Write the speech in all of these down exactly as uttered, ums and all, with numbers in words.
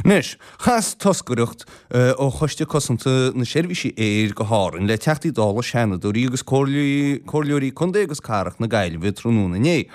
Anois, chas toscaireacht ó Choiste Cosanta na Seirbhísí Aeir go hÁrainn le Teachtaí Dála, Seanadóirí agus Comhairleoirí Contae agus Cathrach na Gaillimhe tráthnóna inné,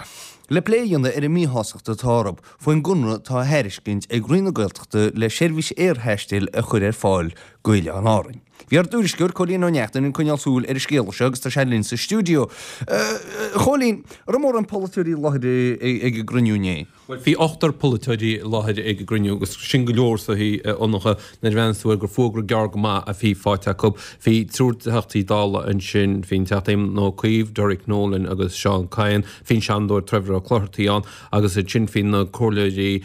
le plé a dhéanamh ar an míshástacht atá orthu faoin gconradh atá á thairiscint ag Roinn na Gaeltachta le seirbhís aerthaistil a chur ar fáil go Oileáin Árainn. Bhí ár dtuairisceoir, Cóilín Ó Neachtain, ag coinneáil súil ar an scéal seo agus tá sé linn sa stiúideo. A Chóilín, an raibh mórán polaiteoirí i láthair ag an gcruinniú inné? Bhuel, bhí ochtar polaiteoirí i láthair ag an gcruinniú agus sin go leor sa Fhionnacha nuair a bhreathnaíonn tú air gur fuagra gearr go maith a bhí faighte acu. Bhí triúr Teachtaí Dála ansin, bhí an Teachta Éamon Ó Cuív, Derek Nolan agus Seán Kyne, bhí an Seanadóir Trevor Ó Clochartaigh ann agus ansin bhí na Comhairleoirí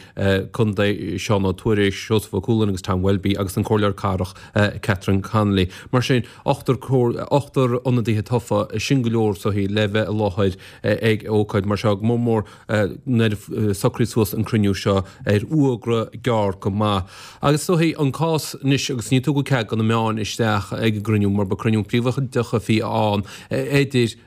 Contae Seán Ó Tuairisg, Seosamh Ó Cualáin agus Tom Welby agus an Comhairleoir Cathrach Catherine Connolly. Mar sin, ochtar ochtar ionadaithe tofa, sin go leor sa le bheith i láthair ag ócáid mar seo, go mór mór nuair a socraíodh suas an cruinniú seo ar fhuagra gearr go maith. Agus is dóichí an cás anois, agus ní tugadh cead do na meáin isteach ag an gcruinniú mar ba cruinniú príobháideach a bhí ann idir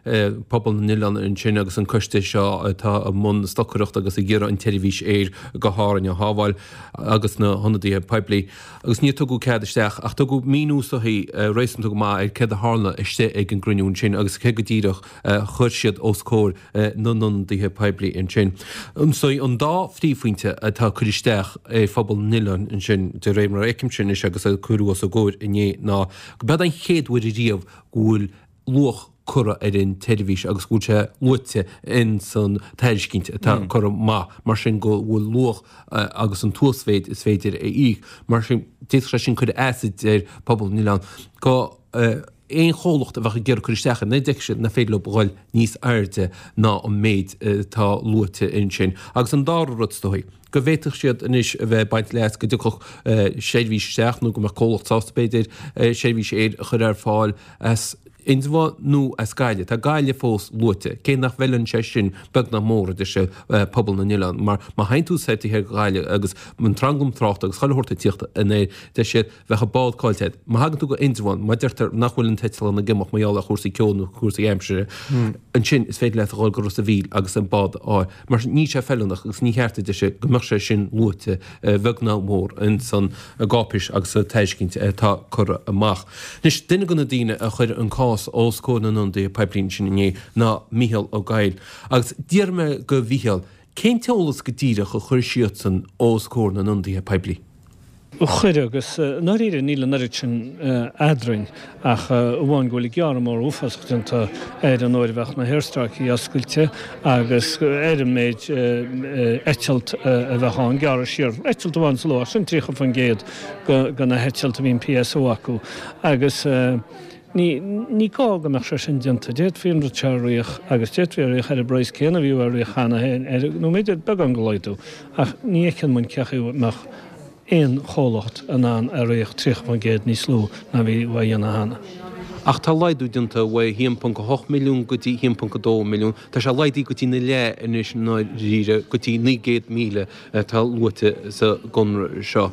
pobal na n-oileán ansin agus an coiste seo atá i mbun stocaireachta agus ag iarraidh an tseirbhís aeir go hÁrainn a shábháil agus na hionadaithe poiblí. Agus níor tugadh cead isteach ach tugadh míniú is dóichí réasúnta go maith ar céard a tharla istigh ag an gcruinniú ansin agus cé go díreach a chuir siad os comhair na n-ionadaithe poiblí ansin. So an dá phríomhphointe atá curtha isteach ag phobal na n-oileán ansin, de réir mar a fheicimse anois agus a cuireadh os a gcomhair inné, ná go b'eod an chéad uair ariamh go bhfuil luach curtha ar an tseirbhís agus go bhfuil sé luaite in san tairiscint atá curtha amach, mar sin go bhfuil luach agus an t-uasmhéid is féidir a íoc. Mar sin, d'fhéadfadh sé sin cur as ar phobal na n-oileán go aon chomhlacht a bheadh ag iarraidh cur isteach air, nach bhfeicfidh siad nach féidir leo a dhul níos airde ná an méid atá luaite ansin. Agus an dara rud is dóichí, go bhféadfadh siad anois a bheith ag baint leas go dtiocfadh seirbhís isteach nó go mbeadh comhlacht sásta b'fhéidir seirbhís aeir a chur ar fáil as Indreabhán nó as Gaillimh. Tá Gaillimh fós luaite, cé nach bhfeileann sé sin beag ná mór, a deir sé, pobal na n-oileán, mar má théann tú soir taobh thiar de Ghaillimh agus an tranglam tráchta agus chuile shórt ag tíocht anoir, deir siad, bheadh an bád caillte agat. Má thagann tú go Indreabhán, má deirtear nach bhfuil an t-eitleán ag imeacht mar gheall ar chúrsaí ceo nó cúrsaí aimsire, ansin is féidir leat a dhul go Ros a' Mhíl agus an bád a fháil. Mar sin, níl sé feiliúnach agus ní cheart, a deir sé, go mbeadh sé sin luaite, a bheag ná mór, ins an gcáipéis agus sa tairiscint atá curtha amach. Anois, duine de na daoine a chuir an cás os comhair na n-ionadaithe poiblí ansin inné ná Mícheál Ó Gabhail. Agus d'iarr mé de Mhícheál cén t-eolas go díreach a chuir siadsan os comhair na n-ionadaithe poiblí. Chuir, agus i ndáiríre níl an oiread sin eadrainn ach amháin go bhfuil gearradh mór uafásach déanta ar an uair a bheadh na haerstráicí oscailte agus ar an méid eitilt a bheadh ann, gearradh siar eitilt amháin sa ló, ach sin tríocha faoin gcéad de na heitilt a bhíonn P S O acu agus ní ní gá go mbeadh sé sin déanta. D'fhéadfaí an rud seo a ritheadh agus d'fhéadfaí a ritheadh ar an bpraghas céanna a bhí á ritheadh cheana féin ar nó b'fhéidir beagán de laghdú ach ní fheiceann muid cén chaoi a mbeadh aon chomhlacht in ann a ritheadh tríocha faoin gcéad níos lú ná bhí á dhéanamh cheana. Ach tá laghdú déanta ó a haon ponc a hocht milliún go dtí a haon ponc a dó milliún. Tá sé laghdaithe go dtí na leath anois i ndáiríre, go dtí naoi gcéad míle atá luaite sa gconradh seo.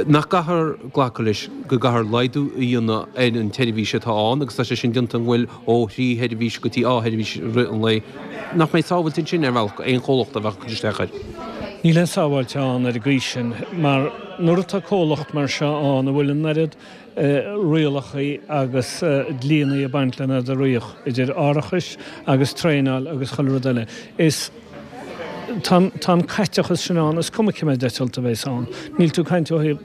Nach gcaithfear glacadh leis go gcaithfear laghdú a dhéanamh ar an tseirbhís atá ann agus tá sé sin déanta an bhfuil ó thrí sheirbhís go dtí dhá sheirbhís i rith an lae. Nach mbeidh sábhailte ansin ar bhealach aon chomhlacht a bheadh ag cur isteach air? Níl aon sábháilte ann ar an gcaoi sin mar nuair atá comhlacht mar seo ann a bhfuil an oiread rialacha agus dlíonna ag baint lena a ritheadh, idir árachais agus traenáil agus chuile rud eile, is tá an caiteachas sin ann, is cuma cé mhéad eitilt a bheas ann. Níl tú ag caint ó thaobh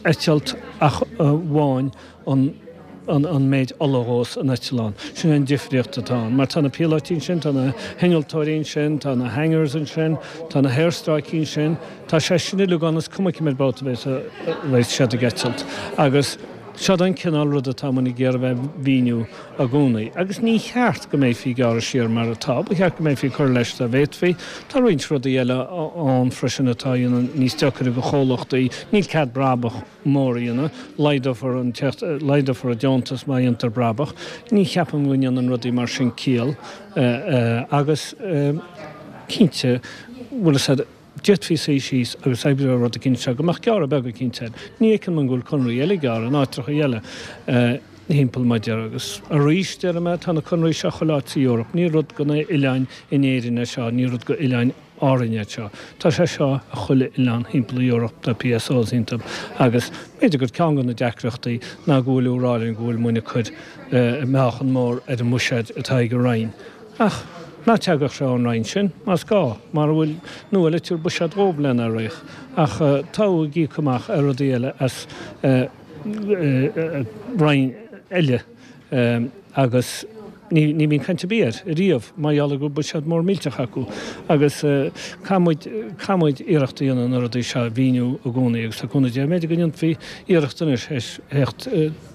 eitilt ach amháin an an méid ola a dhós an eitleán. Sin an difríocht atá ann. Mar tá na píolóití ansin, tá na hinnealtóirí ansin, tá na hangars ansin, tá na haerstráicí ansin, tá sé sin uilig ann, is cuma cé mhéad babhta a bheas a bheas siad ag eitilt. Agus seod an cineál rud atá muid ag iarraidh a bheith ag mhíniú i gcónaí. Agus ní cheart go mbeifí ag gearradh siar mar atá, ba cheart go mbeifí ag cur leis dá bhféadfaí. Tá roinnt rudaí eile ann freisin atá a dhéanann níos deacaire do chomhlachtaí. Níl cead brabach mór a dhéanamh, laghdófar an laghdófar an deontas má dhéantar brabach. Ní cheapaim go ndéanann rudaí mar sin ciall agus cinnte, bhfuil fhios a'd, d'fhéadfaí suí síos agus oibriú ar rud eicínt seo go mbeadh gearradh beag eicínt air. Ní fheiceann muid go bhfuil conraí eile gearrtha in áitreacha eile. thimpeall mar a déarfá agus arís déarfaidh mé tá na conraí seo chuile áit sa Eoraip, ní rud go na oileáin in Éirinn é seo, ní rud go oileáin Árainn é seo. Tá sé seo i chuile oileán thimpeall na Eoraip, tá PSOs iontu agus b'fhéidir gur ceann de na deacrachtaí ná go bhfuil ag rá linn go bhfuil muinn ag cur meáchan mór ar an mbuiséad atá ag an Roinn. Ach ná teagadh sé ón Roinn sin, más gá, mara bhfuil nó eile tabhair buiséad dhóibh lena rith. Ach tá ag íoc amach ar rudaí eile as Roinn eile agus ní ní bhíonn caint ar bith air riamh mar gheall ar go bhfuil buiséad mór millteach acu agus caithfidh muid caithfidh muid iarracht a dhéanamh na rudaí seo a mhíniú i gcónaí agus tá cúnamh Dé b'fhéidir go ndéanfaí iarracht anois theacht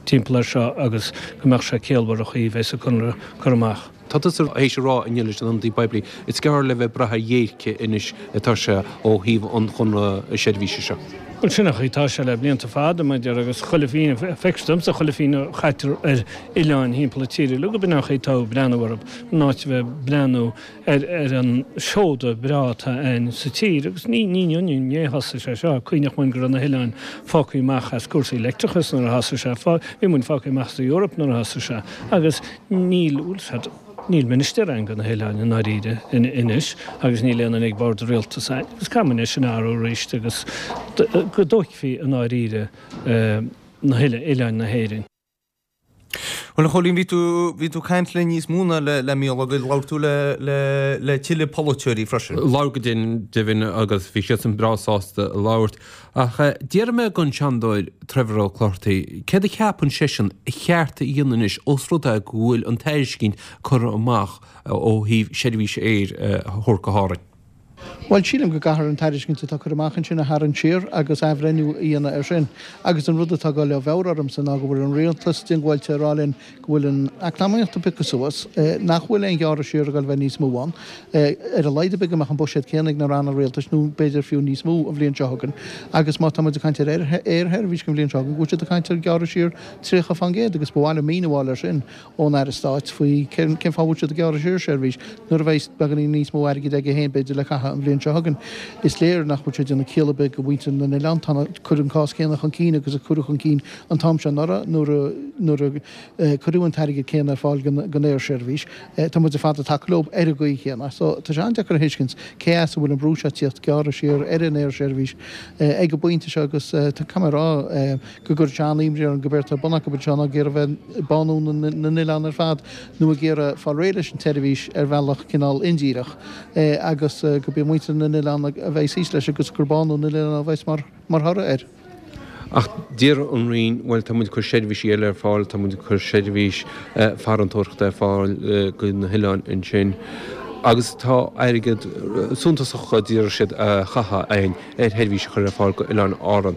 timpeall air seo agus go mbeadh sé ciallmhar an chaoi a bheas an conradh curtha amach. Tá tusa théis a rá inniu leis an ionadaí poiblí, is gearr le bheith ag brath ar dhéirce anois atá sé ó thaobh an chonradh seirbhíse seo. Bhuel, sin an chaoi atá sé le blianta fada, mar a déarfá, agus chuile phingin, feictear domsa chuile phingin a chaitear ar oileáin thimpeall na tíre uilig, b'in an chaoi atá ag breathnú orthu, in áit a bheith ag breathnú ar ar an seoda breá atá ann sa tír. Agus ní ní inniu inné a thosaigh sé seo, cuimhneach muinn go raibh na hoileáin fágtha amach as cúrsaí leictreachais nuair a thosaigh sé, bhí muinn fágtha amach as an Eoraip nuair a thosaigh sé, agus níl, bhfuil 's a'd, Níl ministir ann go na hoileáin i ndáiríre anois agus níl aon duine ag bord an rialtais ann agus caithfidh muid é sin a athrú arís agus go dtógfaí i ndáiríre na hoileáin na hÉireann. Bhuel, a Chóilín, bhí tú, bhí tú ag caint le níos mó ná le, le Mícheál Ó Goill, labhair tú le, le, le tuilleadh polaiteoirí freisin. Labhair go deimhin agus bhí siadsan breá sásta labhairt. Ach d'iarr mé den Seanadóir Trevor Ó Clochartaigh céard a cheapann seisean a cheart a dhéanamh anois ós rud é go bhfuil an tairiscint curtha amach ó thaobh seirbhís aeir a thabhairt go hÁrainn. Bhuel, sílim go gcaithfear an tairiscint atá curtha amach ansin a tharraingt siar agus athbhreithniú a dhéanamh air sin. Agus an rud atá ag dul i bhfabhar ormsa ná go bhfuil an rialtas diongbháilte a rá linn go bhfuil an eacnamaíocht ag piocadh suas, nach bhfuil aon ghearradh siar ag dul a bheith níos mó ann, ar a laghad ar bith go mbeadh an buiséad céanna ag na ranna rialtais nó b'fhéidir fiú níos mó an bhliain seo chugainn agus má tá muid ag caint ar aersheirbhís don bhliain seo chugainn go bhfuil siad ag caint ar ghearradh siar tríocha fán gcéad agus ba mhaith liom míniú a fháil air sin ón Aire Stáit faoi cén fáth a bhfuil siad ag gearradh siar seirbhís nuair a bheidh beagáinín níos mó airgid aige féin b'fhéidir le caitheamh an bhliain seo chugainn. Is léir nach bhfuil sé ag déanamh ciall ar bith do mhuintir na n-oileán. Tá cuireadh an cás céanna chun cinn agus a cuireadh chun cinn an t-am seo anuraidh nuair a nuair a cuireadh an t-airgead céanna ar fáil don aersheirbhís. Tá muid ar fad ag tacú leo ar an gcaoi chéanna. So tá sé an-deacair a thuiscint cé as a bhfuil an brú seo ag tíocht gearradh siar ar an aersheirbhís ag an bpointe seo agus caithfidh mé a rá go gcuireann sé an-imní orm gurb éard atá ar bun acu anseo ná ag iarraidh bheith ag bánú na n-oileán ar fad nó ag iarraidh fáil réidh leis an tseirbhís ar bhealach cineál indíreach agus gurb é muintir na n-oileán a bheidh thíos leis agus gur bánú na n-oileán a bheas mar thoradh air. Ach deir an Roinn, bhuel, tá muid ag cur seirbhísí eile ar fáil, tá muid ag cur seirbhís farantóireachta ar fáil go na hoileáin ansin agus tá airgead suntasach a d'iarr siad a chaitheamh againn ar sheirbhís a chur ar fáil go Oileáin Árann.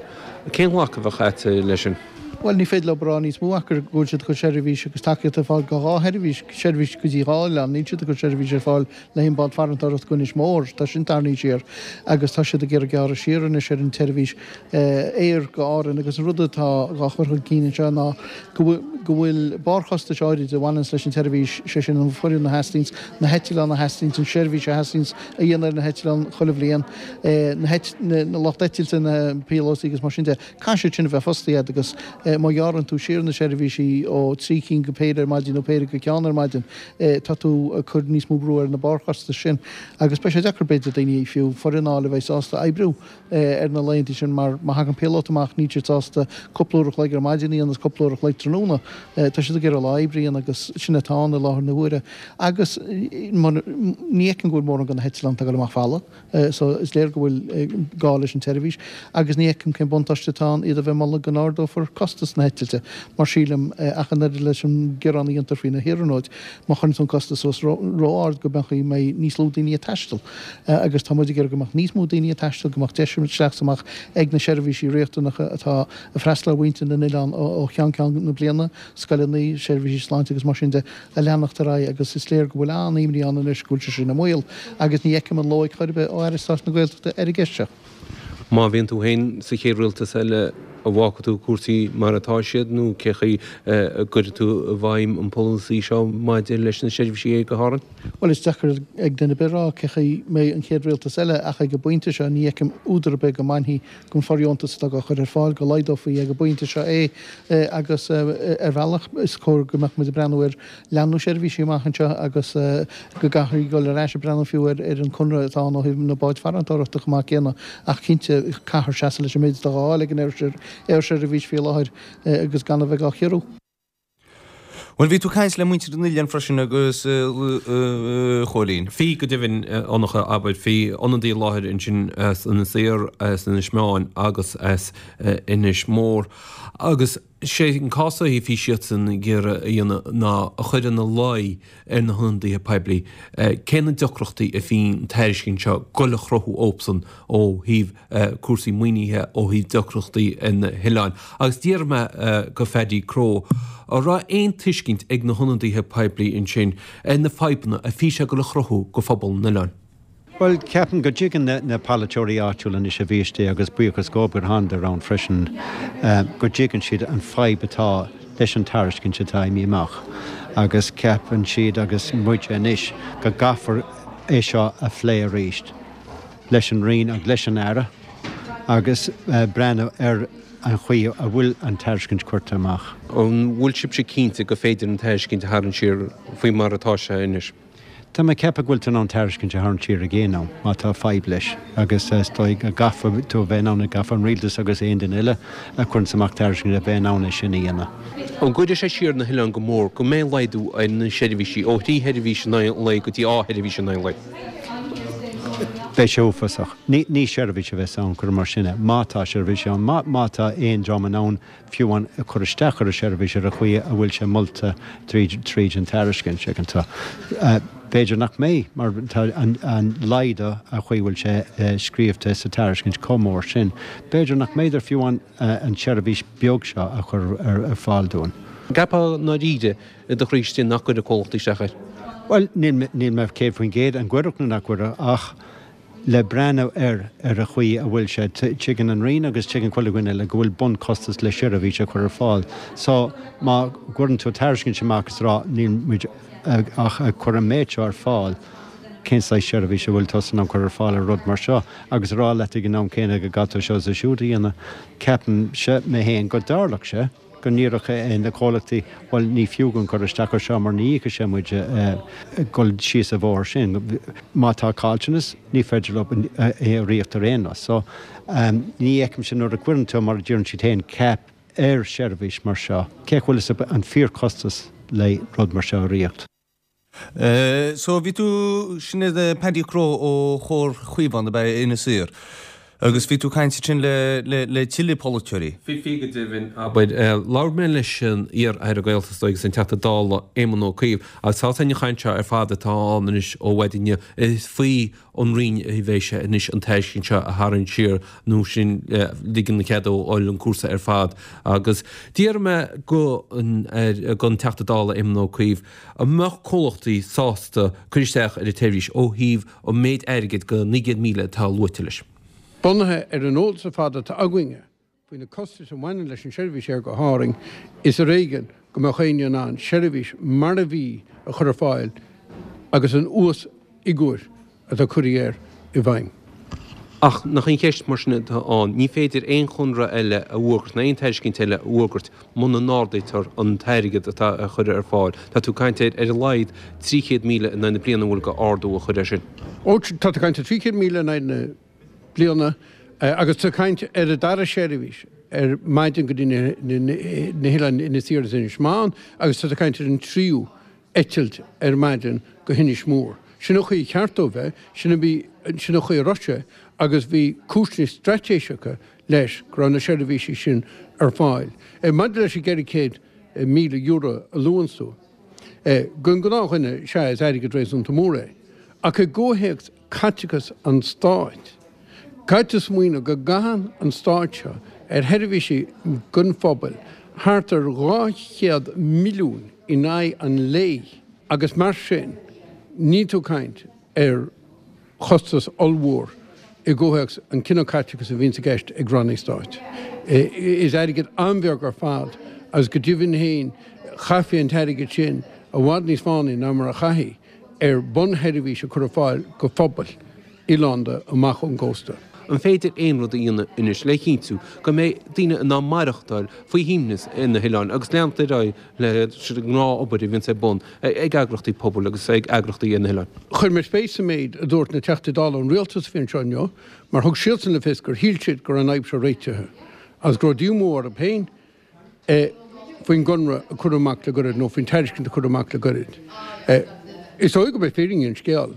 Cén ghlacadh a bheadh agat leis sin? Bhuel, ní féidir leo a rá níos mó ach go bhfuil siad ag cur seirbhís agus tacaíocht ar fáil go dhá sheirbhís, seirbhís go dtí dhá oileán. Níl siad ag cur seirbhís ar fáil le haon bád farantóireachta go Inis Mór. Tá sin tarraingthe siar agus tá siad ag iarraidh gearradh siar anois ar an tseirbhís aeir go Árainn agus an rud atá á chur chun cinn anseo ná go bhfuil barrchostais áirid a bhaineanns leis an tseirbhís, sé sin an foireann a theastaíonns, na heitleáin a theastaíonns, an seirbhís a theastaíonns a dhéanamh ar na heitleáin chuile bhliain, na lucht eitilte, na píolótaí agus mar sin de. Caithfidh siad sin a bheith fostaithe agat agus má ghearrann tú siar na seirbhísí ó trí cinn go péire ar maidin nó péire go ceann ar maidin, tá tú ag cur níos mó brú ar na barrchostais sin agus beidh sé deacair b'fhéidir daoine, fiú foireann a fháil a bheidh sásta oibriú ar na laethanta sin mar má thagann píolóta amach níl siad sásta cúpla uair a chloig ar maidin a dhéanamh agus cúpla uair a chloig tráthnóna. Tá siad ag iarraidh lá oibre a dhéanamh agus sin atá ann i láthair na huaire agus ní fheicim go bhfuil mórán de na heitleáin atá ag dul amach folamh. So is léir go bhfuil gá leis an tseirbhís agus ní fheicim cén buntáiste atá ann iad a bheith ag moladh go n-ardófar costas na heitilte mar sílim ach an oiread leis an gearán a dhéantar faoi na hiarnróid má chuireann tú an costas suas ró-ard go mbeadh mbeidh níos lú daoine ag taisteal agus tá muid ag iarraidh go mbeadh níos mó daoine ag taisteal go mbeadh deis isteach is amach ag na seirbhísí riachtanacha atá ag freastal ar mhuintir na n-oileán ó cheann ceann na bliana, scoileanna, seirbhísí sláinte agus mar sin de. a leanacht ar aghaidh agus is léir go bhfuil an-imní ann anois go bhfuil sé sin i mbaol agus ní fheicim an loighic chor ar bith ó Aire Stáit na Gaeltachta ar an gceist seo. Má bhíonn tú féin sa chéad rialtas eile, An bhfágfaidh tú cúrsaí mar atá siad nó cé chaoi a gcuirfidh tú i bhfeidhm an polasaí seo maidir leis na seirbhísí aeir go hÁrainn? Bhuel, is deacair ag duine ar bith a rá cé chaoi mbeidh an chéad rialtas eile ach ag an bpointe seo ní fheicim údar ar bith go mbainfí den fhóirdheontas atá á chur ar fáil, go laghdófaí ag an bpointe seo é agus ar bhealach is cóir go mbeadh muid ag breathnú ar leathnú seirbhísí amach anseo agus go gcaithfí dul ar ais ag breathnú fiú ar an conradh atá ann ó thaobh na báid farantóireachta chomh maith céanna ach cinnte caithfear seasamh leis an méid atá á fháil ag an aersheirbhís faoi láthair agus gan a bheith á chiorrú. Bhuel, bhí tú ag caint le muintir an oileáin freisin agus a Chóilín. Bhí, go deimhin, a Fhionnacha, abair, bhí ionadaí i láthair ansin as Inis Oírr, as Inis Meáin agus as Inis Mór. Agus sé an cás a bhí siadsan ag iarraidh a dhéanamh ná a chur ina luí ar na hionadaithe poiblí cé na deacrachtaí a bhí an tairiscint seo ag goil a chruthú dóibhsan ó thaobh cúrsaí maoinithe, ó thaobh deacrachtaí ar na hoileáin. Agus d'iarr mé go Phaddy Crowe an raibh aon tuiscint ag na hionadaithe poiblí ansin ar na fadhbanna a bhí sé ag goil a chruthú go phobal an oileáin. Bhuel, ceapaim go dtuigeann na polaiteoirí áitiúla anois a bhí istigh agus buíochas dhóibh gur thánadar ann freisin, go dtuigeann siad an fadhb atá leis an tairiscint atá imithe amach agus ceapann siad agus muide anois go gcaithfear é seo a phlé arís leis an Roinn agus leis an Aire agus breathnú ar an chaoi a bhfuil an tairiscint curtha amach. An bhfuil sibhse cinnte gur féidir an tairiscint a tharraingt siar faoi mar atá sé anois? Tá mé ag ceapadh go bhfuil tú in ann tairiscint a tharraingt siar ag aon am má tá fadhb leis agus is dóigh go gcaithfidh tú a bheith in ann, caithfidh an rialtas agus aon duine eile a chuireanns amach tairiscint a bheith in ann é sin a dhéanamh. An gcuirfidh sé siar na hoileáin go mór go mbeidh laghdú ar na seirbhísí ó thrí sheirbhís in aghaidh an lae go dtí dhá sheirbhís in aghaidh an lae? Beidh sé uafásach. Ní seirbhís a bheas ann, cuir mar sin é, má tá seirbhís ann, má tá aon dream in ann fiú amháin a chur isteach ar an seirbhís ar an chaoi a bhfuil sé molta tríd tríd an tairiscint ag an tráth. B'fhéidir nach mbeidh mar tá an laghdú an chaoi a bhfuil sé scríobhta sa tairiscint chomh mór sin. B'fhéidir nach mb'fhéidir fiú amháin an tseirbhís beag seo a chur ar fáil dúinn. An gceapfá i ndáiríre i do chroí istigh nach gcuirfidh comhlachtaí isteach air? Bhuel, níl mé céad faoin gcéad an gcuirfeadh nó nach gcuirfeadh ach le breathnú air ar an chaoi a bhfuil sé, tuigeann an Roinn agus tuigeann chuile dhuine eile go bhfuil bunchostas le seirbhís a chur ar fáil. So, má chuireann tú tairiscint amach is rá níl muid ach ag cur an méid seo ar fáil, cén saghas seirbhís a bhfuil tusa in ann cur ar fáil ar rud mar seo agus a rá leat ag an am céanna go gcaithfidh tú seo is siúd a dhéanamh, ceapaimse mé féin go dtarlódh sé. go ndéarfadh na comhlachtaí, bhuel, ní fiú dúinn cur isteach ar seo mar ní íocfaidh sé muid dul síos an bóthar sin. Má tá caillteanas, ní féidir leo é a ríocht ar aon nós. So, ní fheicimse nuair a chuireann tú, mar a deireann siad féin, cap ar sheirbhís mar seo, cé chomh bhfuil fhios an fíorchostas le rud mar seo a ríocht. So, bhí tú, sin é Paddy Crowe ó Chomhar Chaomhán ab ea Inis Oírr agus bhí tú ag caint ansin le, le, le tuilleadh polaiteoirí. Bhí, bhí go deimhin, abair. Labhair mé leis an iar-Aire Gaeltachta agus an Teachta Dála Éamon Ó Cuív agus tá an chaint seo ar fad atá ann anois ó mhaidin inniu, is faoi an Roinn a bheidh sé anois an tairiscint seo a tharraingt siar nó sin ligean cead dó a fháil an cúrsa ar fad agus d'iarr mé go an, gon Teachta Dála Éamon Ó Cuív An mbeadh comhlachtaí sásta cur isteach ar an tseirbhís ó thaobh an méid airgid go naoi gcéad míle atá luaite leis? Bunaithe ar an eolas ar fad atá againne faoi na costais a bhaineann leis an seirbhís aeir go hÁrainn, is ar éigean go mbeadh éinne in ann seirbhís mar a bhí a chur ar fáil agus an uasfhigiúir atá curtha air i bhfeidhm. Ach nach í an cheist mar sin atá ann, ní féidir aon chonradh eile a fhógairt ná aon tairiscint eile a fhógairt muna n-ardaítear an t-airgead atá á chur ar fáil. Tá tú ag caint ar ar a laghad trí chéad míle in aghaidh na bliana an bhfuil go ardú a chur air sin. Ó, tá tú ag caint ar trí chéad míle in aghaidh na bliana agus tá tú ag caint ar an dara seirbhís ar maidin go dtí na hoileáin Inis Oírr agus Inis Meáin agus tá tú ag caint ar an tríú eitilt ar maidin go hInis Mór. Sin an chaoi a cheart dó bheith, sin a bhí, sin an chaoi a raibh sé agus bhí cúiseanna straitéiseacha leis go raibh na seirbhísí sin ar fáil. Maidir leis an gceithre chéad míle euro a luann tú, don ghnáthdhuine, sea, is airgead réasúnta mór é. Ach i gcomhthéacs caiteachas an stáit, caithfidh tú smaoineamh go gcaitheann an stát seo ar sheirbhísí don phobal thart ar dhá chéad milliún in aghaidh an lae agus mar sin níl tú ag caint ar chostas ollmhór i gcomhthéacs an cineál caiteachais a bhíonns i gceist ag rannaí stáit. Is airgead an-bheag ar fad agus go deimhin féin chaithfí an t-airgead sin i bhfad níos fánaí ná mar a chaithfí ar bunsheirbhís a chur ar fáil go phobail oileánda amach ón gcósta. An féidir aon rud a dhéanamh anois le chinntiú go mbeidh daoine in ann maireachtáil faoi shuaimhneas ar na hoileáin agus leanacht ar aghaidh leis an ngnáth-obair a bhíonns ar bun ag eagrachtaí pobail agus ag eagrachtaí ar na hoileáin? Chuir mé spéis sa méid a dúirt na Teachtaí Dála ón Rialtas a bhí anseo inniu mar thug siadsan le fios gur shíl siad go raibh an fhadhb seo réitithe agus go raibh díomá orthu féin faoin gconradh a cuireadh amach le goirid nó faoin tairiscint a cuireadh amach le goirid. Is dóigh gurb é fírinne an scéil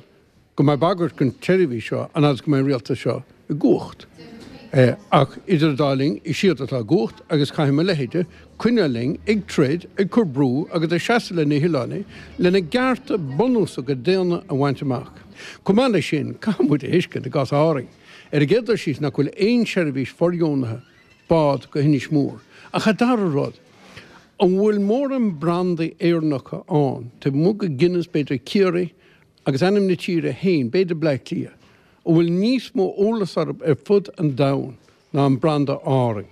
go mbeidh bagairt don tseirbhís seo an fhad is go mbeidh an rialtas seo i gcumhacht. Ach idir an dá linn, is iad atá i gcumhacht agus caithfidh mo leithéide coinneáil linn ag troid, ag cur brú agus ag seasamh le na hoileánaigh lena gcearta bunúsacha daonna a bhaint amach. Chomh maith leis sin, caithfidh muid a thuiscint i gcás Árainn, ar an gcéad dul síos, nach bhfuil aon seirbhís fóirdheonaithe bád go hInis Mór. Ach an dara rud, an bhfuil mórán brandaí Éireannacha ann, taobh amuigh de Guinness, b'fhéidir Ciarraí, agus ainm na tíre féin, b'fhéidir Bleá Cliath, a bhfuil níos mó eolas orthu ar fud an domhain ná an branda Árainn?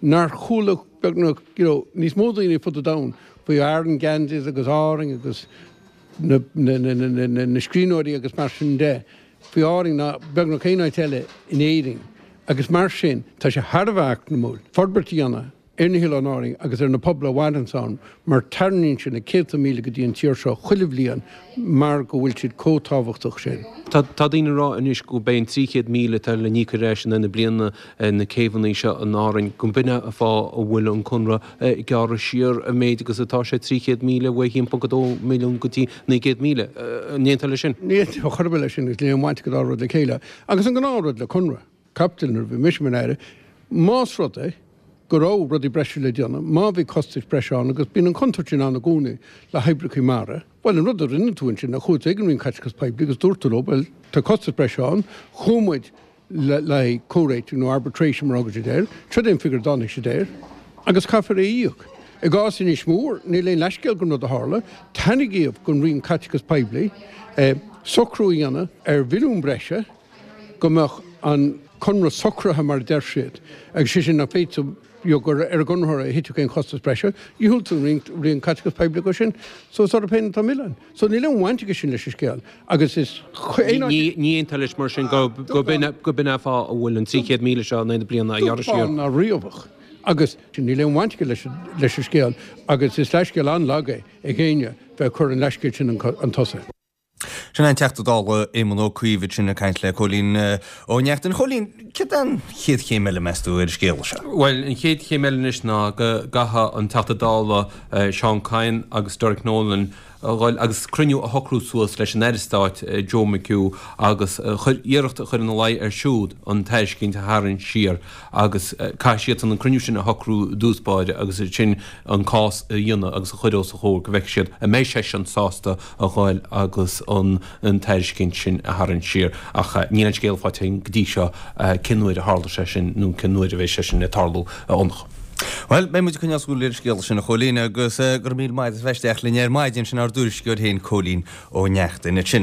Nár chuala beagnach, you know, níos mó daoine ar fud an domhain faoi Aran Ganseys agus Árainn agus na, na, na, na, na, na scríbhneoirí agus mar sin de faoi Árainn ná beagnach aon áit eile in Éirinn. Agus mar sin, tá sé thar a bheith eacnamúil forbairt a dhéanamh ar na hOileáin Árainn agus ar na pobail a mhaireanns ann mar tarraingíonn siad na céadta míle go dtí an tír seo chuile bhliain mar go bhfuil siad chomh tábhachtach sin. Tá daoine ag rá anois go mbeidh an trí chéad míle atá le n-íoc ar ais in aghaidh na bliana ar na céibheanna seo in Árainn, go mb'in é an fáth a bhfuil an conradh gearrtha siar an méid agus atá sé, trí chéad míle ó a haon ponc a dó milliún go dtí naoi gcéad míle. An aontófá leis sin? Ní aontóinn ar chor ar bith leis sin agus níl aon bhaint ag an dá rud le chéile. Agus an gnáthrud le conradh caipitil nuair a bhí mise mar Aire, más rud é go raibh rudaí breise le déanamh, má bhí costais breise ann, agus bíonn an chontúirt sin ann i gcónaí le hoibreacha mara, bhuel, an rud a rinne tú ansin ná chuaigh tú ag an Roinn Caiteachais Poiblí agus dúirt tú leo, bhuel, tá costas breise ann, chuaigh muid le haghaidh comhréitigh nó arbitration mar a thugann siad air, seo é an figiúr a dtáinig siad air, agus caithfear é a íoc. I gcás Inis Mór, níl aon leithscéal don rud a tharla, tairngíodh don Roinn Caiteachais Poiblí socrú a dhéanamh ar mhilliún breise, go mbeadh an conradh socraithe mar a deir siad, agus sé sin nach bhféadfadh you know gur ar an gconraitheoir a thitfeadh aon chostas breise, dhiúltaigh an Roinn Caiteachais Poiblí dó sin. So is orthu féin atá an milleán. So níl aon bhaint aige sin leis an scéal agus is aon áit. Ní aontófá leis mar sin go b'in é an fáth a bhfuil an trí chéad míle seo in aghaidh na bliana á ghearradh siar. Dúshlán ná riabhach agus níl aon bhaint aige leis leis an scéal agus is leithscéal an-lag é ag éinne bheith ag cur an leithscéil sin chun tosaigh. Sin é an Teachta Dála Éamon Ó Cuív ansin ag caint le Cóilín Ó Neachtain. A Chóilín, céard é an chéad chéim eile, meas tú, ar an scéal seo? Bhuel, an chéad chéim eile anois ná go gcaithfidh an Teachta Dála Seán Kyne agus Derek Nolan a dhul agus cruinniú a shocrú suas leis an Aire Stáit Joe McHugh agus iarracht a chur ina luí air siúd an tairiscint a tharraingt siar agus caithfidh siadsan an cruinniú sin a shocrú i dtús báire agus ansin an cás a dhéanamh agus a chur os a chomhair go bhfeicfidh siad an mbeidh seisean sásta a ghoil agus an tairiscint sin a tharraingt siar. Ach níl aon scéala faighte againn go dtí seo cén uair a tharlóidh sé sin nó cén uair a bheidh sé sin ag tarlú, a Fhionnachadh. Bhuel, beidh muid ag coinneáil súil ar an scéal sin, a Chóilín, agus go raibh míle maith agat as bheith isteach linn ar maidin, sin ár dtuairisceoir féin, Cóilín Ó Neachtain ansin.